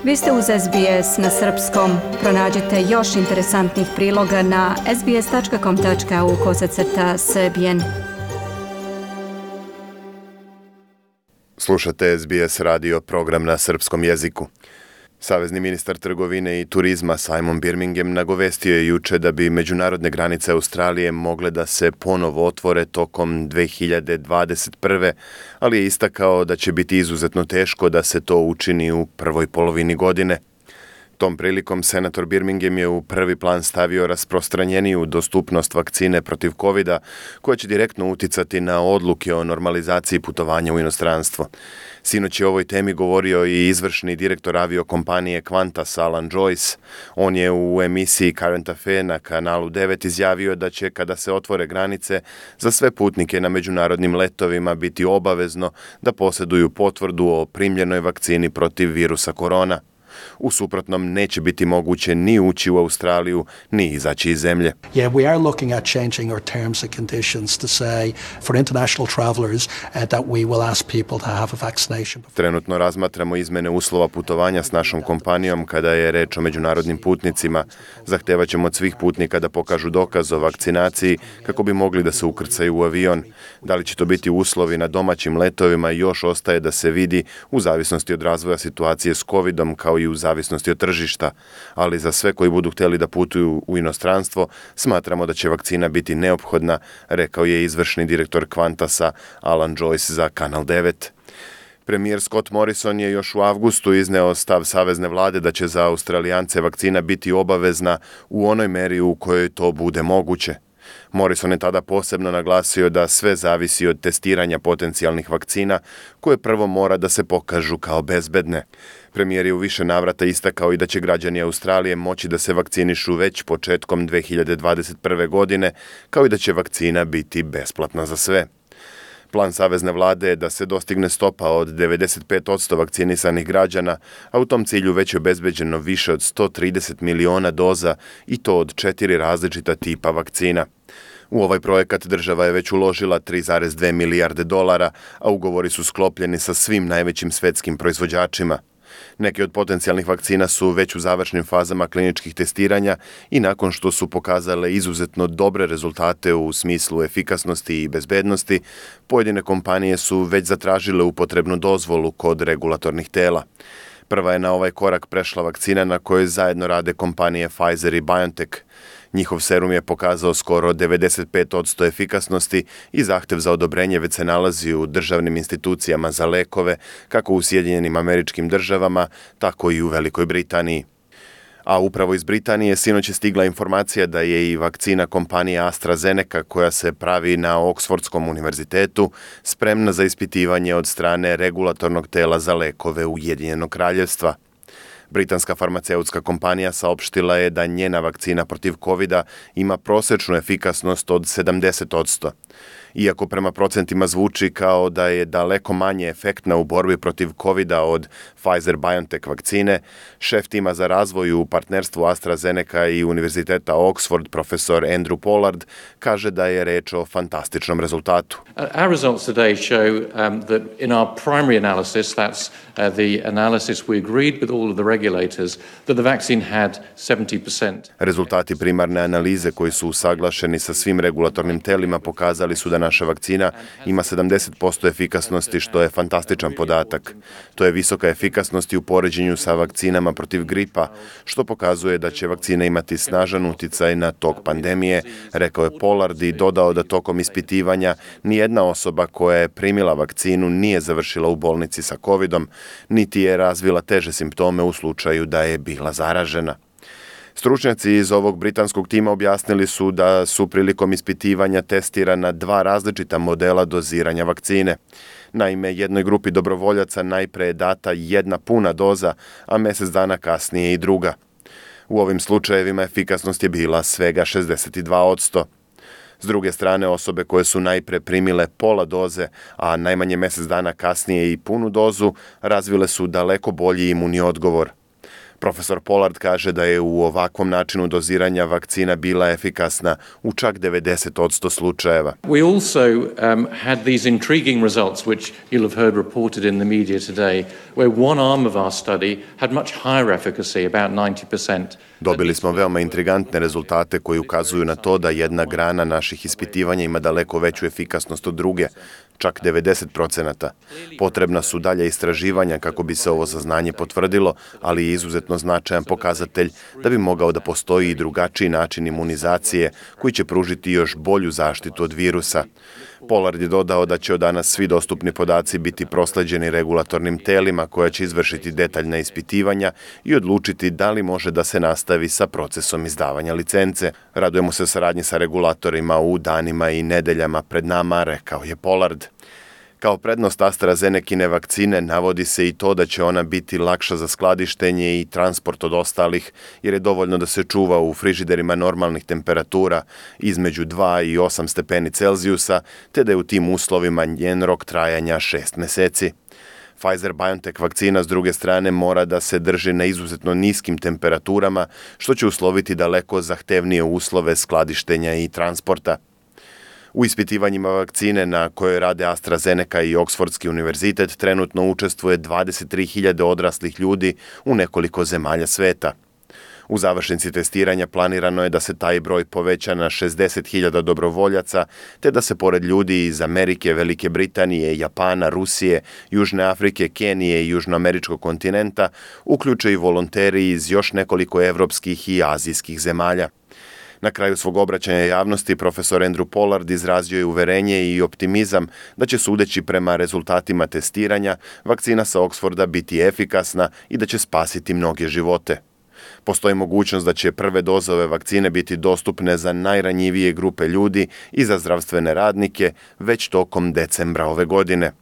Vi ste uz SBS na srpskom. Pronađite još interesantnih priloga na sbs.com.au/srbijen. Slušate SBS radio program na srpskom jeziku. Savezni ministar trgovine i turizma Simon Birmingham nagovestio je juče da bi međunarodne granice Australije mogle da se ponovo otvore tokom 2021. ali je istakao da će biti izuzetno teško da se to učini u prvoj polovini godine. Tom prilikom senator Birmingham je u prvi plan stavio rasprostranjeniju dostupnost vakcine protiv covida, koja će direktno uticati na odluke o normalizaciji putovanja u inostranstvo. Sinoć je o ovoj temi govorio i izvršni direktor aviokompanije Qantas Alan Joyce. On je u emisiji Current Affairs na kanalu 9 izjavio da će, kada se otvore granice, za sve putnike na međunarodnim letovima biti obavezno da posjeduju potvrdu o primljenoj vakcini protiv virusa korona. U suprotnom neće biti moguće ni ući u Australiju, ni izaći iz zemlje. Yeah, we are looking at changing our terms and conditions to say for international travelers that we will ask people to have a vaccination. Trenutno razmatramo izmene uslova putovanja s našom kompanijom kada je reč o međunarodnim putnicima. Zahtevaćemo od svih putnika da pokažu dokaz o vakcinaciji kako bi mogli da se ukrcaju u avion. Da li će to biti uslovi na domaćim letovima još ostaje da se vidi u zavisnosti od razvoja situacije s covidom kao i u zavisnosti od tržišta, ali za sve koji budu htjeli da putuju u inostranstvo, smatramo da će vakcina biti neophodna, rekao je izvršni direktor Qantasa Alan Joyce za Kanal 9. Premijer Scott Morrison je još u avgustu izneo stav savezne vlade da će za Australijance vakcina biti obavezna u onoj meri u kojoj to bude moguće. Morrison je tada posebno naglasio da sve zavisi od testiranja potencijalnih vakcina, koje prvo mora da se pokažu kao bezbedne. Premijer je u više navrata istakao i da će građani Australije moći da se vakcinišu već početkom 2021. godine, kao i da će vakcina biti besplatna za sve. Plan savezne vlade je da se dostigne stopa od 95% vakcinisanih građana, a u tom cilju već je obezbeđeno više od 130 miliona doza i to od 4 različita tipa vakcina. U ovaj projekat država je već uložila 3,2 milijarde dolara, a ugovori su sklopljeni sa svim najvećim svetskim proizvođačima. Neke od potencijalnih vakcina su već u završnim fazama kliničkih testiranja i nakon što su pokazale izuzetno dobre rezultate u smislu efikasnosti i bezbednosti, pojedine kompanije su već zatražile upotrebnu dozvolu kod regulatornih tela. Prva je na ovaj korak prešla vakcina na kojoj zajedno rade kompanije Pfizer i BioNTech. Njihov serum je pokazao skoro 95% efikasnosti i zahtev za odobrenje već se nalazi u državnim institucijama za lekove, kako u Sjedinjenim Američkim Državama, tako i u Velikoj Britaniji. A upravo iz Britanije sinoć je stigla informacija da je i vakcina kompanije AstraZeneca, koja se pravi na Oksfordskom univerzitetu, spremna za ispitivanje od strane regulatornog tela za lekove Ujedinjenog Kraljevstva. Britanska farmaceutska kompanija saopštila je da njena vakcina protiv covida ima prosječnu efikasnost od 70%. Iako prema procentima zvuči kao da je daleko manje efektna u borbi protiv covida od Pfizer-BioNTech vakcine, šef tima za razvoj u partnerstvu AstraZeneca i Univerziteta Oxford, profesor Andrew Pollard, kaže da je reč o fantastičnom rezultatu. Our results today show that in our primary analysis, that's the analysis we agreed with all of the regulators, that the vaccine had 70%. Rezultati primarne analize koji su usaglašeni sa svim regulatornim telima pokazali su da naša vakcina ima 70% efikasnosti, što je fantastičan podatak. To je visoka efikasnost i u poređenju sa vakcinama protiv gripa, što pokazuje da će vakcina imati snažan uticaj na tok pandemije, rekao je Pollard i dodao da tokom ispitivanja nijedna osoba koja je primila vakcinu nije završila u bolnici sa covidom, niti je razvila teže simptome u slučaju da je bila zaražena. Stručnjaci iz ovog britanskog tima objasnili su da su prilikom ispitivanja testirana 2 različita modela doziranja vakcine. Naime, jednoj grupi dobrovoljaca najpre je data 1 puna doza, a mjesec dana kasnije i druga. U ovim slučajevima efikasnost je bila svega 62%. S druge strane, osobe koje su najpre primile pola doze, a najmanje mjesec dana kasnije i punu dozu, razvile su daleko bolji imunni odgovor. Profesor Pollard kaže da je u ovakvom načinu doziranja vakcina bila efikasna u čak 90% slučajeva. We also had these intriguing results, which you'll have heard reported in the media today, where one arm of our study had much higher efficacy, about 90%. Dobili smo veoma intrigantne rezultate koji ukazuju na to da jedna grana naših ispitivanja ima daleko veću efikasnost od druge, čak 90%. Potrebna su dalje istraživanja kako bi se ovo saznanje potvrdilo, ali je izuzetno značajan pokazatelj da bi mogao da postoji i drugačiji način imunizacije koji će pružiti još bolju zaštitu od virusa. Pollard je dodao da će od danas svi dostupni podaci biti prosleđeni regulatornim telima koja će izvršiti detaljna ispitivanja i odlučiti da li može da se nastavi sa procesom izdavanja licence. Radujemo se saradnji sa regulatorima u danima i nedeljama pred nama, rekao je Pollard. Kao prednost AstraZenecine vakcine navodi se i to da će ona biti lakša za skladištenje i transport od ostalih, jer je dovoljno da se čuva u frižiderima normalnih temperatura između 2 i 8 stepeni Celzijusa, te da je u tim uslovima njen rok trajanja 6 meseci. Pfizer-BioNTech vakcina s druge strane mora da se drži na izuzetno niskim temperaturama, što će usloviti daleko zahtevnije uslove skladištenja i transporta. U ispitivanjima vakcine na kojoj rade AstraZeneca i Oksfordski univerzitet trenutno učestvuje 23.000 odraslih ljudi u nekoliko zemalja sveta. U završnici testiranja planirano je da se taj broj poveća na 60.000 dobrovoljaca, te da se pored ljudi iz Amerike, Velike Britanije, Japana, Rusije, Južne Afrike, Kenije i južnoameričkog kontinenta uključe i volonteri iz još nekoliko evropskih i azijskih zemalja. Na kraju svog obraćanja javnosti profesor Andrew Pollard izrazio je uverenje i optimizam da će, sudeći prema rezultatima testiranja, vakcina sa Oksforda biti efikasna i da će spasiti mnoge živote. Postoji mogućnost da će prve doze ove vakcine biti dostupne za najranjivije grupe ljudi i za zdravstvene radnike već tokom decembra ove godine.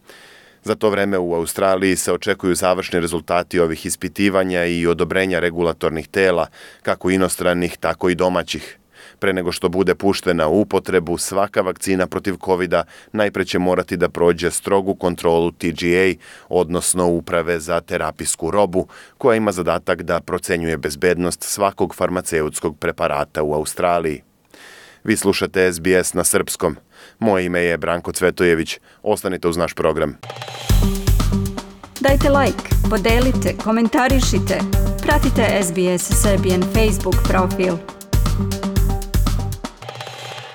Za to vreme u Australiji se očekuju završni rezultati ovih ispitivanja i odobrenja regulatornih tela, kako inostranih, tako i domaćih. Pre nego što bude puštena u upotrebu, svaka vakcina protiv COVID-a najpre će morati da prođe strogu kontrolu TGA, odnosno Uprave za terapijsku robu, koja ima zadatak da procenjuje bezbednost svakog farmaceutskog preparata u Australiji. Vi slušate SBS na srpskom. Moje ime je Branko Cvetojević. Ostanite uz naš program. Dajte like, podelite, komentarišite. Pratite SBS Serbian Facebook profil.